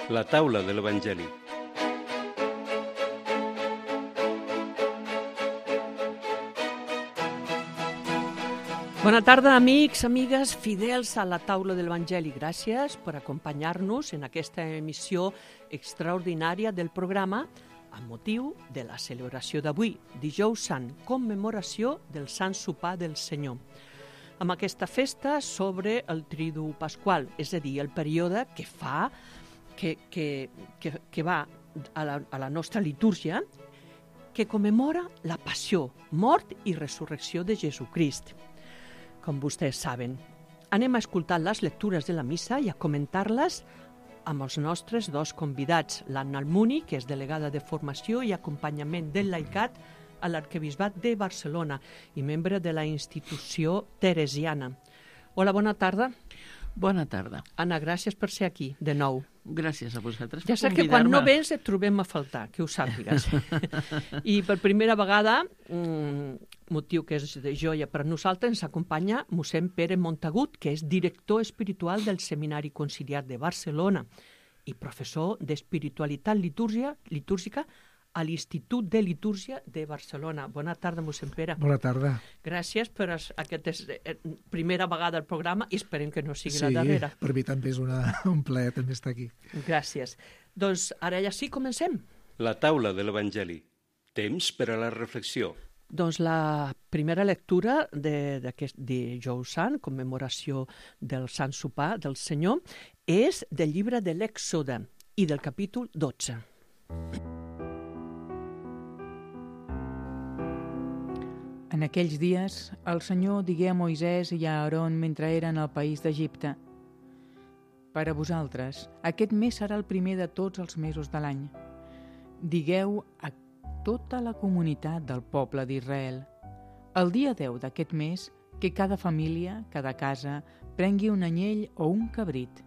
La taula de l'Evangeli. Bona tarda, amics, amigues, fidels a la taula de l'Evangeli. Gràcies per acompanyar-nos en aquesta emissió extraordinària del programa amb motiu de la celebració d'avui, Dijous Sant, commemoració del Sant Sopar del Senyor. Amb aquesta festa sobre el Tridu Pasqual, és a dir, el període que va a la nostra litúrgia, que commemora la passió, mort i resurrecció de Jesucrist. Com vostès saben, anem a escoltar les lectures de la missa i a comentar-les amb els nostres dos convidats, l'Anna Almuni, que és delegada de formació i acompanyament del laicat a l'Arquebisbat de Barcelona i membre de la institució teresiana. Hola, bona tarda. Bona tarda. Anna, gràcies per ser aquí, de nou. Gràcies a vosaltres per convidar-me. Ja sé que quan no vens et trobem a faltar, que ho sàpigues. I per primera vegada, motiu que és de joia per a nosaltres, ens acompanya mossèn Pere Montagut, que és director espiritual del Seminari Conciliar de Barcelona i professor d'espiritualitat litúrgica a l'Institut de Litúrgia de Barcelona. Bona tarda, mossèn Pere. Bona tarda. Gràcies per aquesta primera vegada al programa i esperem que no sigui la darrera. Sí, per mi també és un plaer també estar aquí. Gràcies. Doncs ara ja sí, comencem. La taula de l'Evangeli. Temps per a la reflexió. Doncs la primera lectura d'aquest Dijous Sant, commemoració del Sant Sopar del Senyor, és del llibre de l'Èxode i del capítol 12. En aquells dies, el Senyor digué a Moisès i a Aarón mentre eren al país d'Egipte: «Per a vosaltres, aquest mes serà el primer de tots els mesos de l'any. Digueu a tota la comunitat del poble d'Israel: el dia 10 d'aquest mes, que cada família, cada casa, prengui un anyell o un cabrit.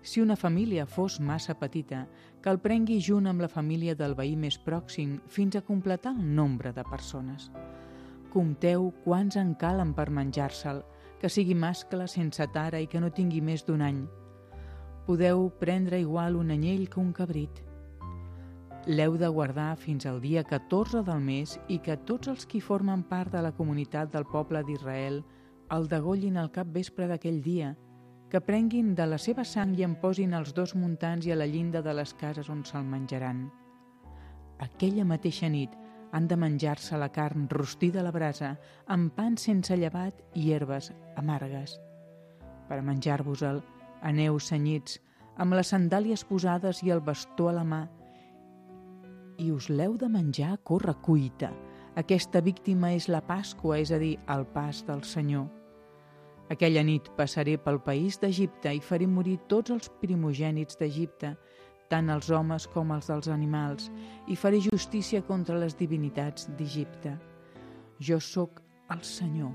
Si una família fos massa petita, que el prengui junt amb la família del veí més pròxim fins a completar el nombre de persones. Compteu quants en calen per menjar-se'l, que sigui mascle sense tara i que no tingui més d'un any. Podeu prendre igual un anyell que un cabrit. L'heu de guardar fins al dia 14 del mes i que tots els qui formen part de la comunitat del poble d'Israel el degollin al capvespre d'aquell dia, que prenguin de la seva sang i en posin els dos muntants i a la llinda de les cases on se'l menjaran. Aquella mateixa nit han de menjar-se la carn rostida a la brasa, amb pans sense llevat i herbes amargues. Per a menjar-vos-el, aneu cenyits, amb les sandàlies posades i el bastó a la mà, i us l'heu de menjar a corre cuita. Aquesta víctima és la Pasqua, és a dir, el pas del Senyor. Aquella nit passaré pel país d'Egipte i faré morir tots els primogènits d'Egipte, tant els homes com els dels animals, i faré justícia contra les divinitats d'Egipte. Jo sóc el Senyor.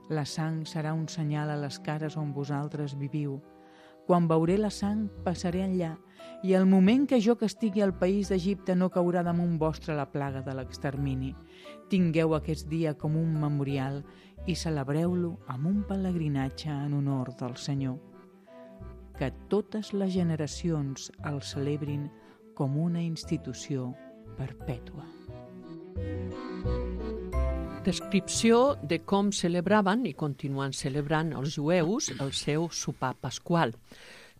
La sang serà un senyal a les cases on vosaltres viviu. Quan veuré la sang, passaré enllà, i al moment que jo castigui el país d'Egipte no caurà damunt vostre la plaga de l'extermini. Tingueu aquest dia com un memorial i celebreu-lo amb un pelegrinatge en honor del Senyor. Que totes les generacions el celebrin com una institució perpètua. Descripció de com celebraven i continuen celebrant els jueus el seu sopar pasqual,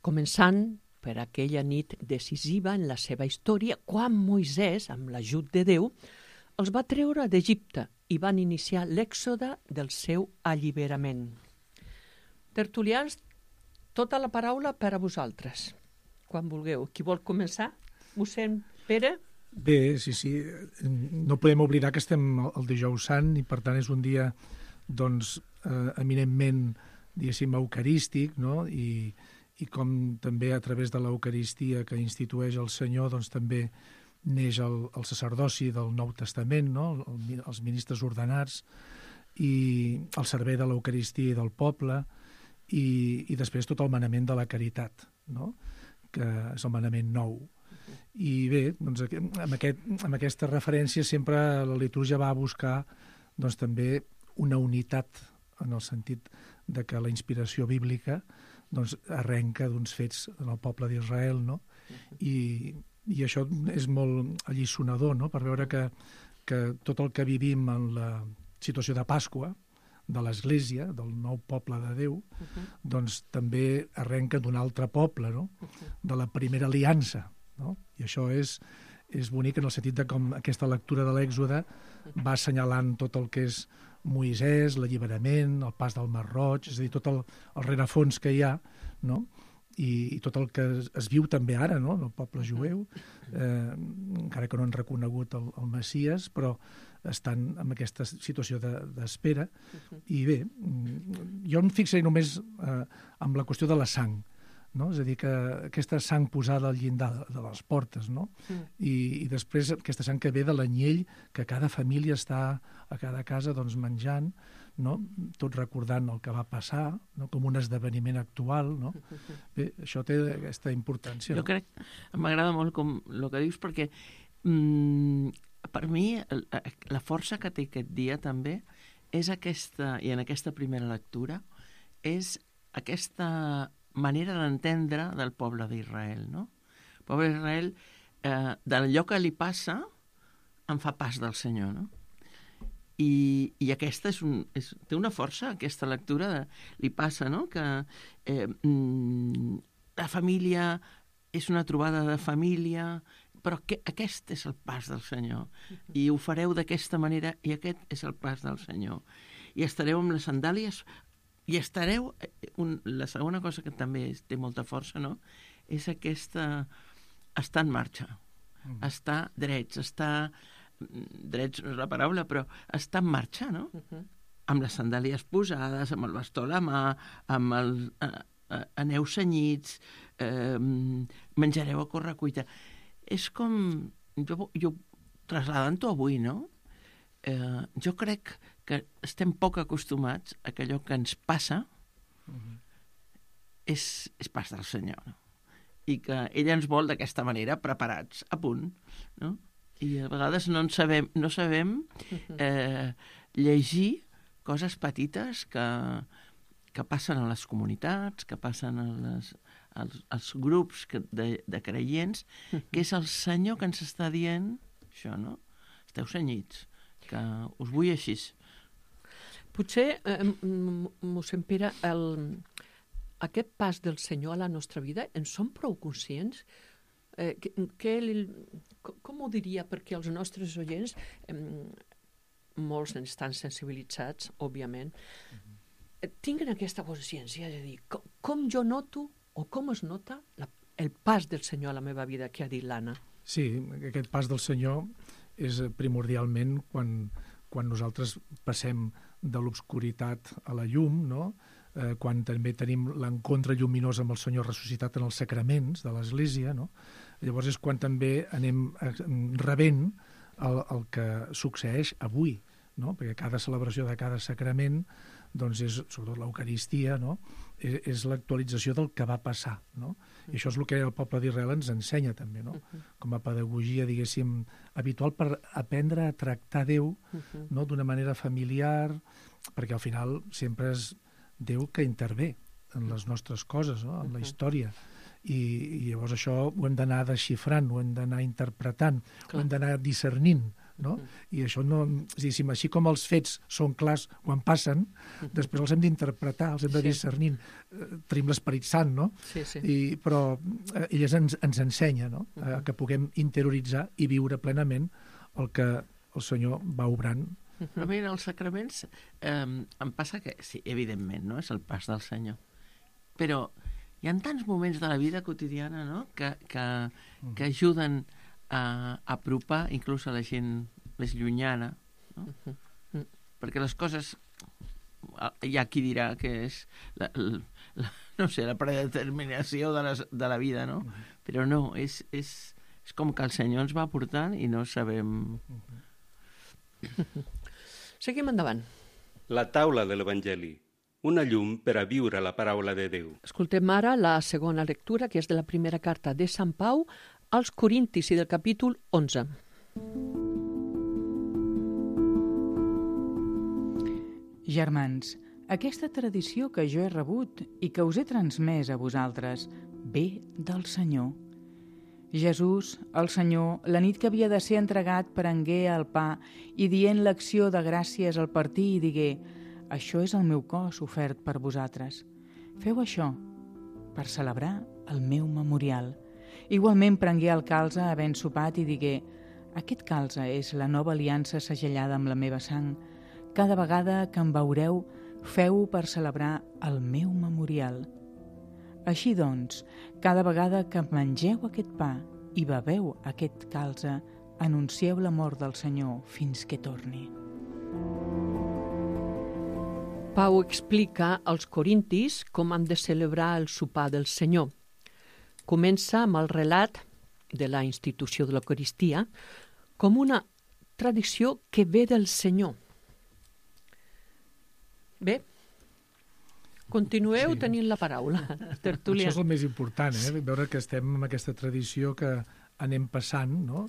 començant per aquella nit decisiva en la seva història quan Moisès, amb l'ajut de Déu, els va treure d'Egipte i van iniciar l'èxode del seu alliberament. Tertulians, tota la paraula per a vosaltres, quan vulgueu. Qui vol començar? Mossèn Pere? Bé, sí. No podem oblidar que estem al Dijous Sant i per tant és un dia eminentment, diguéssim, eucarístic, no? I com també a través de l'Eucaristia que institueix el Senyor també neix el sacerdoci del Nou Testament, no? Els ministres ordenats i el servei de l'Eucaristia i del poble i després tot el manament de la caritat, no? Que és el manament nou. I bé, amb aquesta referència sempre la litúrgia va a buscar també una unitat en el sentit de que la inspiració bíblica doncs arrenca d'uns fets en el poble d'Israel, no? I això és molt alliçonador, no? Per veure que tot el que vivim en la situació de Pasqua, de l'Església, del nou poble de Déu, doncs també arrenca d'un altre poble, no? De la primera aliança, no? I això és bonic en el sentit de com aquesta lectura de l'Èxode va assenyalant tot el que és Moisès, l'alliberament, el pas del Mar Roig, és a dir, tot el rerefons que hi ha, no? I tot el que es viu també ara, no? En el poble jueu, encara que no han reconegut el Messies, però estan en aquesta situació d'espera. I bé, jo em fixaré només amb la qüestió de la sang, no? És a dir, que aquesta sang posada al llindar de les portes, no? I després aquesta sang que ve de l'anyell que cada família està a cada casa doncs, menjant, no? Tot recordant el que va passar, no? Com un esdeveniment actual, no? Bé, això té aquesta importància. Jo crec, m'agrada molt com el que dius, perquè per mi la força que té aquest dia també és aquesta, i en aquesta primera lectura, és aquesta manera d'entendre del poble d'Israel, no? El poble d'Israel, d'allò que li passa, en fa pas del Senyor, no? I aquesta té una força, aquesta lectura li passa, no? Que la família és una trobada de família, però aquest és el pas del Senyor. I ho fareu d'aquesta manera, i aquest és el pas del Senyor. I estareu amb les sandàlies, i estareu... La segona cosa que també té molta força, no?, és aquesta... estar en marxa, estar drets, drets no és la paraula, però estar en marxa, no? Amb les sandàlies posades, amb el bastó a la mà, amb aneu cenyits, menjareu a correcuita. És com... Jo trasladant-ho avui, no? Jo crec que estem poc acostumats a que allò que ens passa és pas del Senyor, no? I que ell ens vol d'aquesta manera, preparats, a punt, no? I a vegades no sabem llegir coses petites que passen a les comunitats, que passen als grups de creients, que és el Senyor que ens està dient això, no? Esteu cenyits, que us vull així. Potser, mossèn Pere, aquest pas del Senyor a la nostra vida, en som prou conscients? Com ho diria? Perquè els nostres oients, molts estan sensibilitzats, òbviament, tinguen aquesta consciència de dir, com jo noto o com es nota el pas del Senyor a la meva vida, que ha dit l'Anna? Sí, aquest pas del Senyor és primordialment quan nosaltres passem de l'obscuritat a la llum, no? Quan també tenim l'encontre lluminós amb el Senyor ressuscitat en els sacraments de l'Església, no? Llavors és quan també anem rebent el que succeeix avui, no? Perquè cada celebració de cada sacrament, doncs és, sobretot l'Eucaristia, no? És l'actualització del que va passar, no? I això és el que el poble d'Israel ens ensenya també, no? Com a pedagogia, diguéssim, habitual per aprendre a tractar Déu, no? D'una manera familiar, perquè al final sempre és Déu que intervé en les nostres coses, no? En la història. I llavors això ho hem d'anar desxifrant, ho hem d'anar interpretant, ho hem d'anar discernint, no? I això no... Diguéssim, així com els fets són clars quan passen, després els hem d'interpretar, els hem de discernir. Tenim l'Esperit Sant, no? Però ell ens ensenya, no? Que puguem interioritzar i viure plenament el que el Senyor va obrant. Però mira, els sacraments em passa que, sí, evidentment, no? És el pas del Senyor. Però hi ha tants moments de la vida quotidiana, no?, que ajuden a apropar inclús a la gent més llunyana, no? Perquè les coses, hi ha qui dirà que és no sé, la predeterminació de la vida, no? Però no, és com que el Senyor ens va portant i no sabem... Seguim endavant. La taula de l'Evangeli, una llum per a viure la paraula de Déu. Escoltem ara la segona lectura, que és de la primera carta de Sant Pau als Corintis i del capítol 11. Germans, Aquesta tradició que jo he rebut i que us he transmès a vosaltres ve del Senyor. Jesús, el Senyor, la nit que havia de ser entregat, prengué el pa i dient l'acció de gràcies al partir i digué: això és el meu cos ofert per vosaltres. Feu això per celebrar el meu memorial. Igualment prengué el calze havent sopat i digué: aquest calze és la nova aliança segellada amb la meva sang. Cada vegada que em veureu, feu-ho per celebrar el meu memorial. Així doncs, cada vegada que mengeu aquest pa i beveu aquest calze, anuncieu la mort del Senyor fins que torni. Pau explica als corintis com han de celebrar el sopar del Senyor. Comença amb el relat de la institució de l'Eucaristia com una tradició que ve del Senyor. Bé, continueu tenint la paraula, tertúlia. Això és el més important, veure que estem en aquesta tradició que anem passant, no?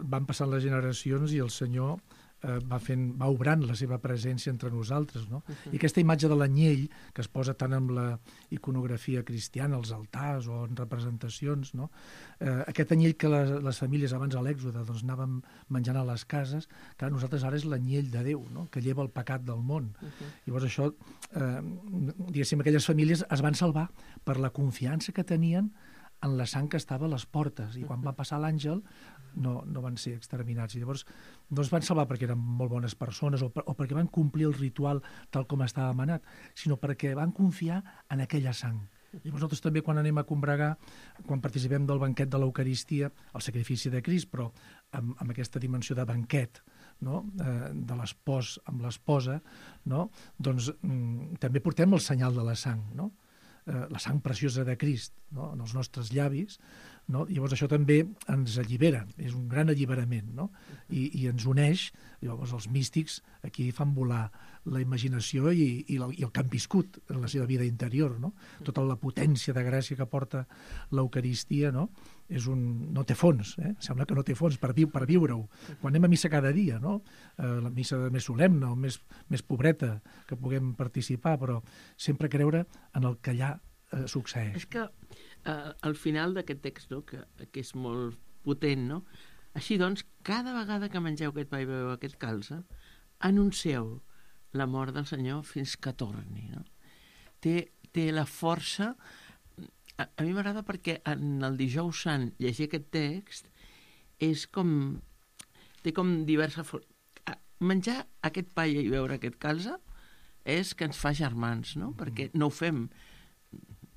Van passant les generacions i el Senyor va obrant la seva presència entre nosaltres, no? I aquesta imatge de l'anyell, que es posa tant amb la iconografia cristiana, als altars o en representacions, no? Aquest anyell que les famílies abans a l'Èxode doncs, anàvem menjant a les cases, que nosaltres ara és l'anyell de Déu, no? Que lleva el pecat del món. Llavors això, diguéssim, aquelles famílies es van salvar per la confiança que tenien en la sang que estava a les portes, i quan va passar l'àngel no van ser exterminats. I llavors no es van salvar perquè eren molt bones persones o perquè van complir el ritual tal com estava manat, sinó perquè van confiar en aquella sang. Llavors nosaltres també quan anem a combregar, quan participem del banquet de l'Eucaristia, el sacrifici de Crist, però amb aquesta dimensió de banquet, no? De l'espòs amb l'esposa, no? Doncs també portem el senyal de la sang, no? La sang preciosa de Crist, no? En els nostres llavis, no? Llavors això també ens allibera, és un gran alliberament, no? I ens uneix. Llavors els místics aquí fan volar la imaginació i el que han viscut en la seva vida interior, no? Tota la potència de gràcia que porta l'Eucaristia, no? No té fons, sembla que no té fons per viure-ho. Quan anem a missa cada dia, no? La missa més solemne o més pobreta que puguem participar, però sempre creure en el que allà succeeix. És que al final d'aquest text, no? que és molt potent, no? Així doncs, cada vegada que mengeu aquest pa i beveu aquest calze, anuncieu la mort del Senyor fins que torni, no? Té la força. A mi m'agrada perquè en el Dijous Sant llegir aquest text és té com diverses formes. Menjar aquest pa i beure aquest calze és que ens fa germans, no? Perquè no ho fem,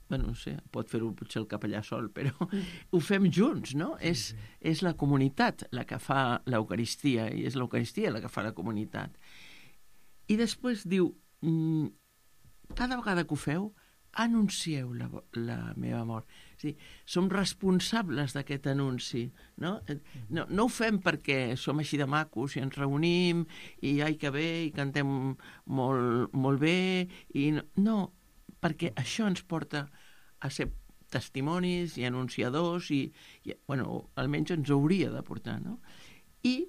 bueno, no sé, pot fer-ho potser el capellà sol, però ho fem junts, no? És la comunitat la que fa l'Eucaristia i és l'Eucaristia la que fa la comunitat. I després diu, cada vegada que ho feu, anuncieu la meva mort. És a dir, som responsables d'aquest anunci, no? No ho fem perquè som així de macos i ens reunim i ai que bé, i cantem molt bé, i no, perquè això ens porta a ser testimonis i anunciadors i bueno, almenys ens hauria de portar, no? I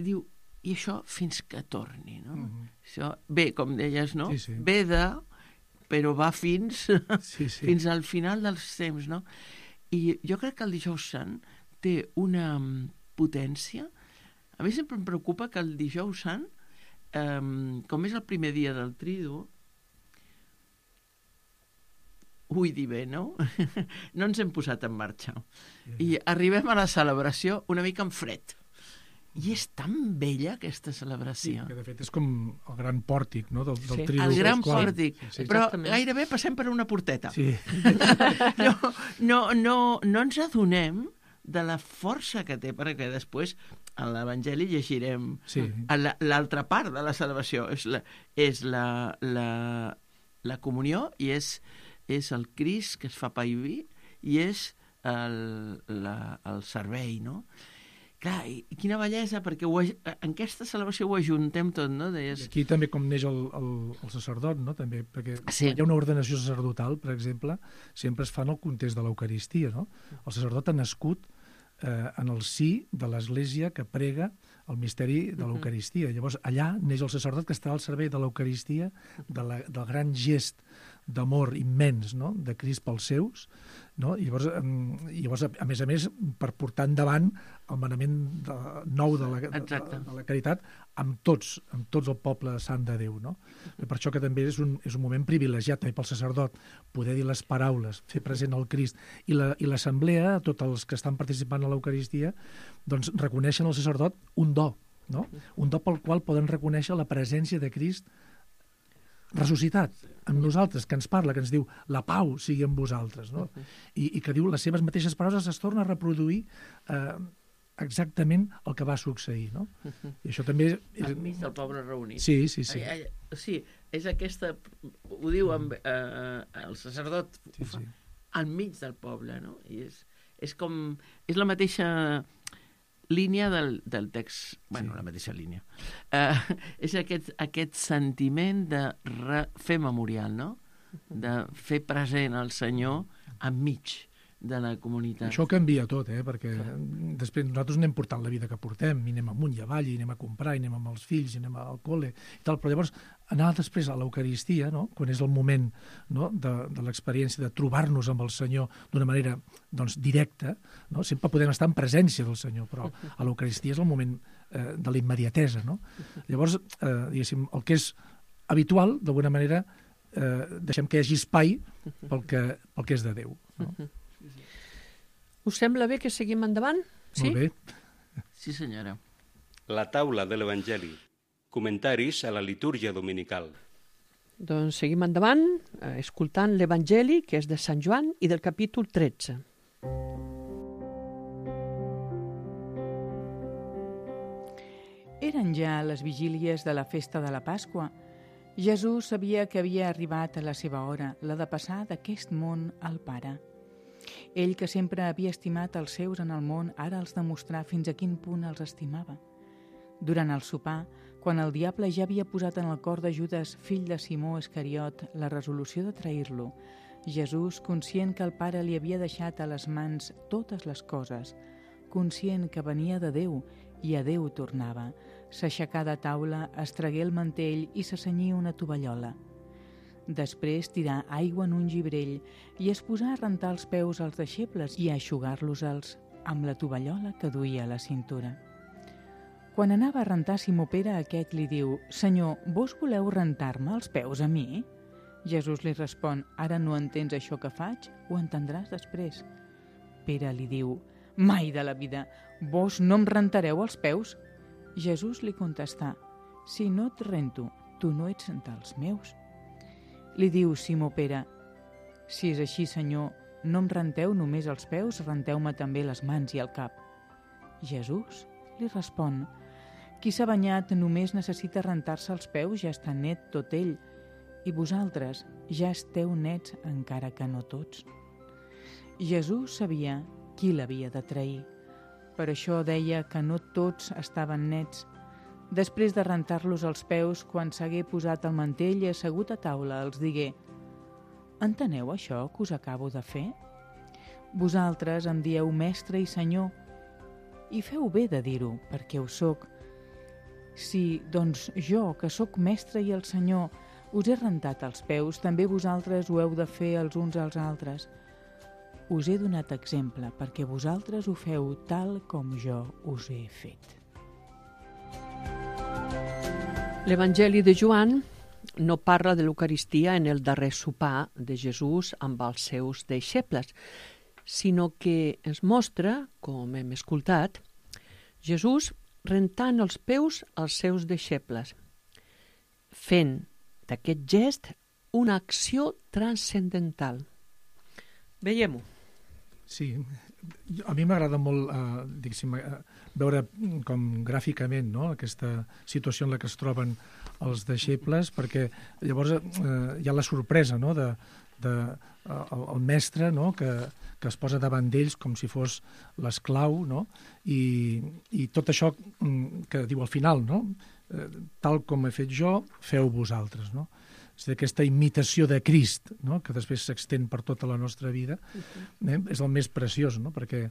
diu, i això fins que torni, no? Això, bé, com deies, no? Sí. Ve però va fins al final dels temps, no? I jo crec que el Dijous Sant té una potència. A mi sempre em preocupa que el Dijous Sant, com és el primer dia del Tridu, vull dir bé, no? No ens hem posat en marxa. I arribem a la celebració una mica en fred. I és tan bella aquesta celebració. Sí, que de fet és com el gran pòrtic, no? del Tridu. El gran pòrtic, sí. Però gairebé passem per una porteta. Sí. No ens adonem de la força que té, perquè després a l'Evangeli llegirem l'altra part de la celebració. És la comunió i és el Crist que es fa pa i vi i és el servei, no? Clar, i quina bellesa, perquè en aquesta celebració ho ajuntem tot, no? Deies... Aquí també com neix el sacerdot, no? També, perquè hi ha una ordenació sacerdotal, per exemple, sempre es fa en el context de l'Eucaristia, no? El sacerdot ha nascut en el si de l'Església que prega el misteri de l'Eucaristia. Llavors, allà neix el sacerdot que està al servei de l'Eucaristia, del gran gest d'amor immens, no?, de Crist pels seus, no? I llavors, a més, per portar endavant el manament nou de la caritat amb tots el poble sant de Déu, no? Per això que també és un moment privilegiat també pel sacerdot poder dir les paraules, fer present el Crist, i l'assemblea, tots els que estan participant a l'Eucaristia, doncs reconeixen al sacerdot un do, no? Un do pel qual poden reconèixer la presència de Crist ressuscitat amb nosaltres, que ens parla, que ens diu la pau sigui amb vosaltres, no? I que diu les seves mateixes paraules, es torna a reproduir exactament el que va succeir, no? I això també enmig del poble reunit. Sí. Sí, és aquesta, ho diu el sacerdot, enmig del poble, no? I és com, és la mateixa línia del text, bueno, la mateixa línia. És aquest sentiment de fer memorial, no? De fer present el Senyor enmig de la comunitat. Això canvia tot, perquè després nosaltres anem portant la vida que portem, i anem amunt i avall, i anem a comprar, i anem amb els fills, i anem al col·le, i tal, però llavors anar després a l'Eucaristia, no?, quan és el moment, no?, de l'experiència de trobar-nos amb el Senyor d'una manera, doncs, directa, no? Sempre podem estar en presència del Senyor, però a l'Eucaristia és el moment de la immediatesa, no? Llavors, diguéssim, el que és habitual, d'alguna manera, deixem que hi hagi espai pel que és de Déu, no? Us sembla bé que seguim endavant? Sí? Molt bé. Sí, senyora. La taula de l'Evangeli. Comentaris a la litúrgia dominical. Doncs seguim endavant, escoltant l'Evangeli, que és de Sant Joan i del capítol 13. Eren ja les vigílies de la festa de la Pasqua. Jesús sabia que havia arribat a la seva hora, la de passar d'aquest món al Pare. Ell, que sempre havia estimat els seus en el món, ara els demostrà fins a quin punt els estimava. Durant el sopar, quan el diable ja havia posat en el cor de Judas, fill de Simó Iscariot, la resolució de trair-lo, Jesús, conscient que el Pare li havia deixat a les mans totes les coses, conscient que venia de Déu i a Déu tornava, s'aixecà de taula, es tragué el mantell i se cenyí una tovallola. Després tirà aigua en un gibrell i es posà a rentar els peus als deixebles i a eixugar-los-els amb la tovallola que duia a la cintura. Quan anava a rentar Simó Pere, aquest li diu: «Senyor, vos voleu rentar-me els peus a mi?» Jesús li respon: «Ara no entens això que faig? Ho entendràs després». Pere li diu: «Mai de la vida! Vos no em rentareu els peus?» Jesús li contestà: «Si no et rento, tu no ets dels meus». Li diu Simó Pere: «Si és així, Senyor, no em renteu només els peus, renteu-me també les mans i el cap». Jesús li respon: «Qui s'ha banyat només necessita rentar-se els peus, ja està net tot ell, i vosaltres ja esteu nets encara que no tots». Jesús sabia qui l'havia de trair. Per això deia que no tots estaven nets. Després de rentar-los els peus, quan s'hagué posat el mantell i assegut a taula, els digué: «Enteneu això que us acabo de fer? Vosaltres em dieu mestre i senyor, i feu bé de dir-ho, perquè ho soc. Si, doncs, jo, que sóc mestre i el Senyor, us he rentat els peus, també vosaltres ho heu de fer els uns als altres. Us he donat exemple perquè vosaltres ho feu tal com jo us he fet». L'Evangeli de Joan no parla de l'Eucaristia en el darrer sopar de Jesús amb els seus deixebles, sinó que ens mostra, com hem escoltat, Jesús rentant els peus als seus deixebles, fent d'aquest gest una acció transcendental. Veiem-ho. Sí, a mi m'agrada molt veure com gràficament, no?, aquesta situació en la que es troben els deixebles, perquè llavors hi ha la sorpresa, no?, el mestre, no?, que es posa davant d'ells com si fos l'esclau, no?, i tot això que diu al final, no?, tal com he fet jo, feu vosaltres, no? és aquesta imitació de Crist, no? Que després s'extén per tota la nostra vida, és el més preciós, no? Perquè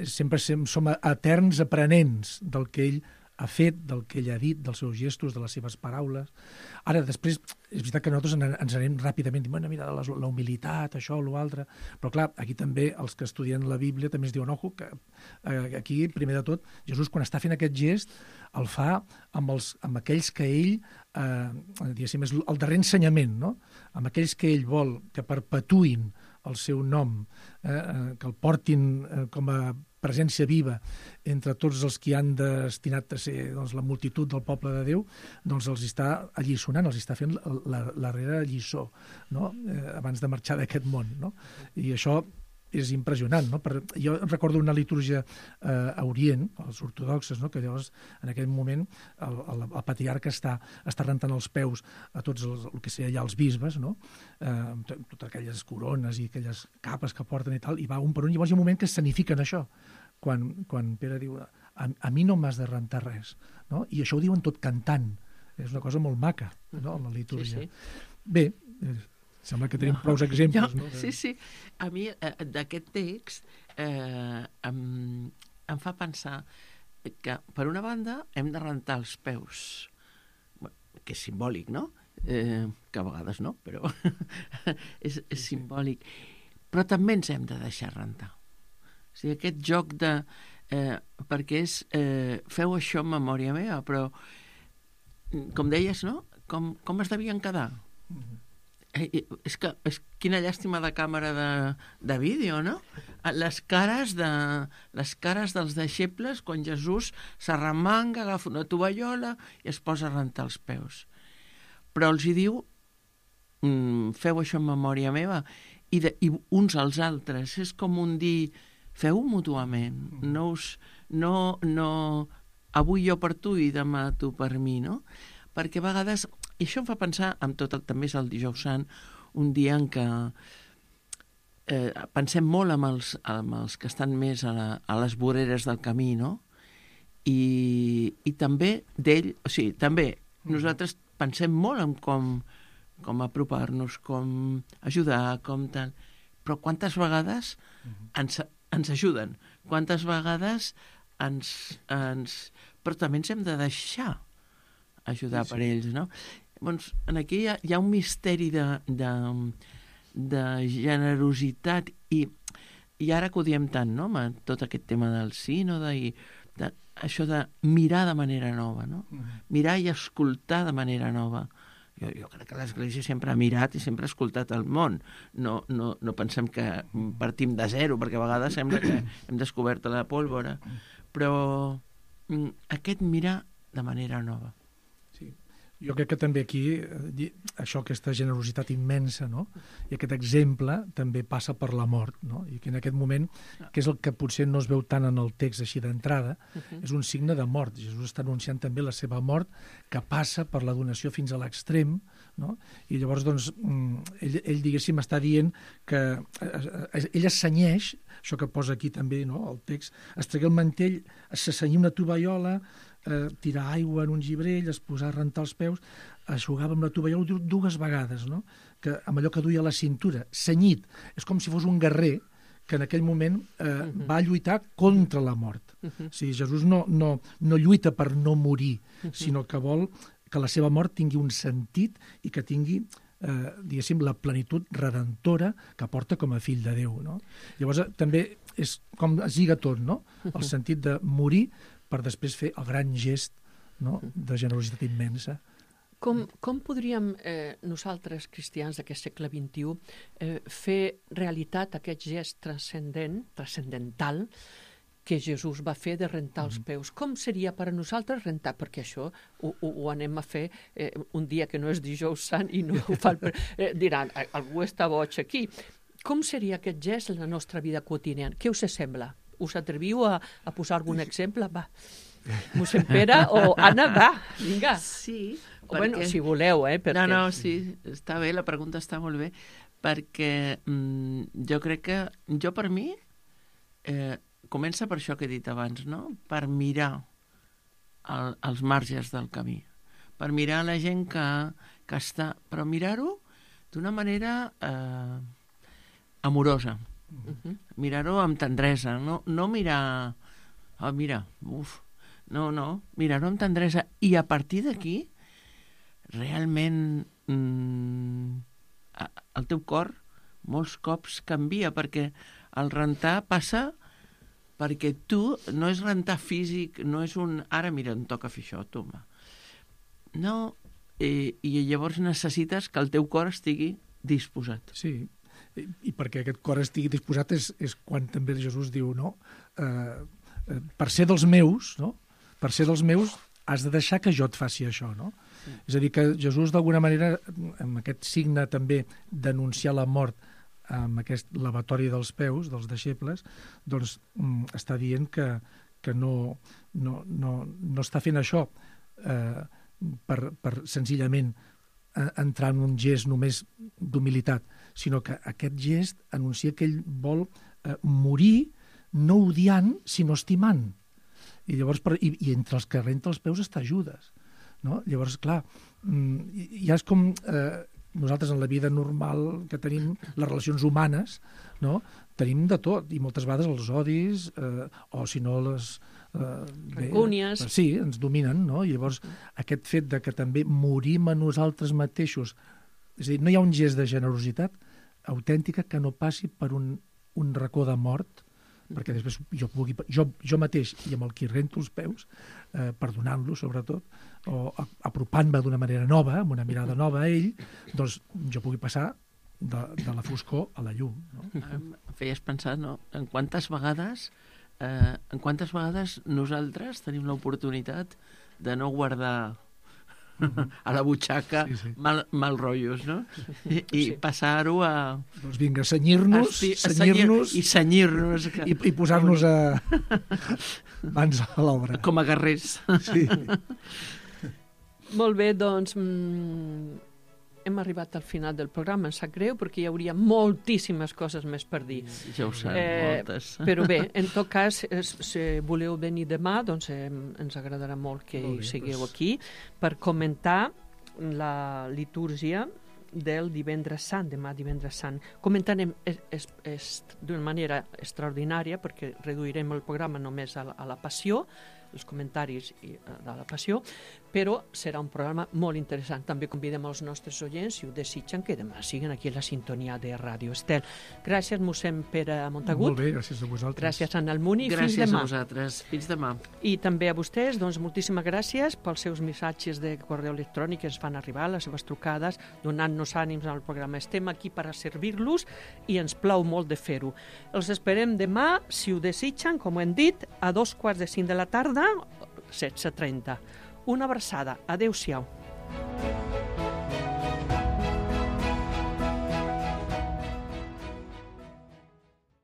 sempre som eterns aprenents del que ell ha fet, del que ell ha dit, dels seus gestos, de les seves paraules. Ara, després, és veritat que nosaltres ens anem ràpidament, dient, mira, la humilitat, això, l'altre, però clar, aquí també els que estudien la Bíblia també es diuen, ojo, que aquí, primer de tot, Jesús, quan està fent aquest gest, el fa amb aquells que ell, diguéssim, és el darrer ensenyament, no? Amb aquells que ell vol que perpetuïn el seu nom, que el portin com a presència viva entre tots els que han destinat a ser la multitud del poble de Déu, doncs els està alliçonant, els està fent la darrera lliçó, no? Abans de marxar d'aquest món. No? I això és impressionant. No? Jo recordo una litúrgia a Orient, els ortodoxes, no? Que llavors en aquell moment el patriarca està rentant els peus a tots el que seria allà els bisbes, no? Totes aquelles corones i aquelles capes que porten i tal, i va un per un, i llavors hi ha un moment que escenifiquen això, quan Pere diu a mi no m'has de rentar res, no? I això ho diuen tot cantant, és una cosa molt maca, no? La litúrgia. Sí. Bé, sembla que tenim prou exemples. No? Sí. A mi d'aquest text em fa pensar que, per una banda, hem de rentar els peus, que és simbòlic, no? Que a vegades no, però és simbòlic. Però també ens hem de deixar rentar. O sigui, aquest joc de... perquè és... feu això en memòria meva, però, com deies, no? Com es devien quedar? És quina llàstima de càmera de vídeo, no? Les cares dels deixebles quan Jesús s'arremanga, agafa una tovallola i es posa a rentar els peus. Però els hi diu, feu això en memòria meva, i uns als altres. És com un dir, feu-ho mútuament. Avui jo per tu i demà tu per mi, no? Perquè a vegades, i això em fa pensar, també és el Dijous Sant, un dia en què pensem molt amb els que estan més a les voreres del camí, no? I també d'ell, o sigui, també nosaltres pensem molt en com apropar-nos, com ajudar, com tal. Però quantes vegades ens ajuden? Quantes vegades però també ens hem de deixar ajudar per ells, no? Doncs aquí hi ha un misteri de generositat i ara que ho diem tant, no? Amb tot aquest tema del sínode i això de mirar de manera nova, no? Mirar i escoltar de manera nova. Jo crec que l'Església sempre ha mirat i sempre ha escoltat el món. No pensem que partim de zero, perquè a vegades sembla que hem descobert la pólvora. Però aquest mirar de manera nova. Jo crec que també aquí, aquesta generositat immensa, no? I aquest exemple també passa per la mort, no? I que en aquest moment, que és el que potser no es veu tant en el text així d'entrada, és un signe de mort. Jesús està anunciant també la seva mort, que passa per la donació fins a l'extrem, no? I llavors, doncs, ell diguéssim, està dient que ell es cenyeix, això que posa aquí també, no? El text, es tragué el mantell, s'assenyia una tovallola, tirar aigua en un gibrell, es posar a rentar els peus, eixugava amb la tovallola dues vegades, no? Que amb allò que duia a la cintura, cenyit. És com si fos un guerrer que en aquell moment va lluitar contra la mort. O sigui, Jesús no lluita per no morir, sinó que vol que la seva mort tingui un sentit i que tingui diguéssim, la plenitud redentora que porta com a fill de Déu, no? Llavors també és com es lliga tot, no? El sentit de morir per després fer el gran gest, no? De generositat immensa. Com podríem nosaltres, cristians d'aquest segle XXI, fer realitat aquest gest transcendental que Jesús va fer de rentar els peus? Com seria per a nosaltres rentar? Perquè això ho anem a fer un dia que no és Dijous Sant i no ho fa... Diran, algú està boig aquí. Com seria aquest gest en la nostra vida quotidiana? Què us sembla? Us atreviu a posar algun exemple? Va, mossèn Pere o Anna, va, vinga. Sí, perquè... Bueno, si voleu, perquè... No, sí, està bé, la pregunta està molt bé, perquè jo crec que, per mi, comença per això que he dit abans, no? Per mirar els marges del camí, per mirar la gent que està... Però mirar-ho d'una manera amorosa. Mirar-ho amb tendresa. No mirar... Oh, mira, No, mirar-ho amb tendresa. I a partir d'aquí, realment, el teu cor molts cops canvia, perquè el rentar passa perquè tu no és rentar físic, no és un... Ara, mira, em toca fer això, toma. No, i llavors necessites que el teu cor estigui disposat. Sí, i perquè aquest cor estigui disposat és quan també Jesús diu, no? Per ser dels meus, no? Per ser dels meus has de deixar que jo et faci això, no? Sí. És a dir, que Jesús d'alguna manera, amb aquest signe també d'anunciar la mort amb aquest lavatori dels peus, dels deixebles, doncs està dient que no està fent això per senzillament entrar en un gest només d'humilitat, sinó que aquest gest anuncia que ell vol morir no odiant, sinó estimant. I llavors, i entre els que renta els peus està Judes, no? Llavors, clar, ja és com nosaltres en la vida normal que tenim les relacions humanes, no? Tenim de tot, i moltes vegades els odis, o si no les... Rancúnies. Sí, ens dominen, no? I llavors aquest fet de que també morim a nosaltres mateixos, és a dir, no hi ha un gest de generositat autèntica que no passi per un racó de mort, perquè després jo mateix i amb el qui rento els peus, perdonant-lo sobretot, o apropant-me d'una manera nova, amb una mirada nova a ell, doncs jo pugui passar de la foscor a la llum. No? Em feies pensar, no? En quantes vegades nosaltres tenim l'oportunitat de no guardar a la butxaca mal rotllos, no? I passar-ho a... Doncs vinga, senyir-nos... I senyir-nos. I posar-nos mans a l'obra. Com a guerrers. Sí. Molt bé, doncs hem arribat al final del programa, em sap greu, perquè hi hauria moltíssimes coses més per dir. Ja ho sap, moltes. Però bé, en tot cas, si voleu venir demà, doncs ens agradarà molt que hi sigueu aquí per comentar la litúrgia del divendres sant, demà divendres sant. Comentarem d'una manera extraordinària, perquè reduirem el programa només a la passió, els comentaris de la passió, però serà un programa molt interessant. També convidem els nostres oients, si ho desitgen, que demà siguen aquí a la sintonia de Ràdio Estel. Gràcies, mossèn Pere Montagut. Molt bé, gràcies a vosaltres. Gràcies, Anna Almuni. Gràcies fins demà. a vosaltres. Fins demà. I també a vostès, doncs, moltíssimes gràcies pels seus missatges de correu electrònic que ens fan arribar, les seves trucades, donant-nos ànims al programa. Estem aquí per a servir-los i ens plau molt de fer-ho. Els esperem demà, si ho desitgen, com ho hem dit, a 2:45 de la tarda, 16:30. Una abraçada. Adéu-siau.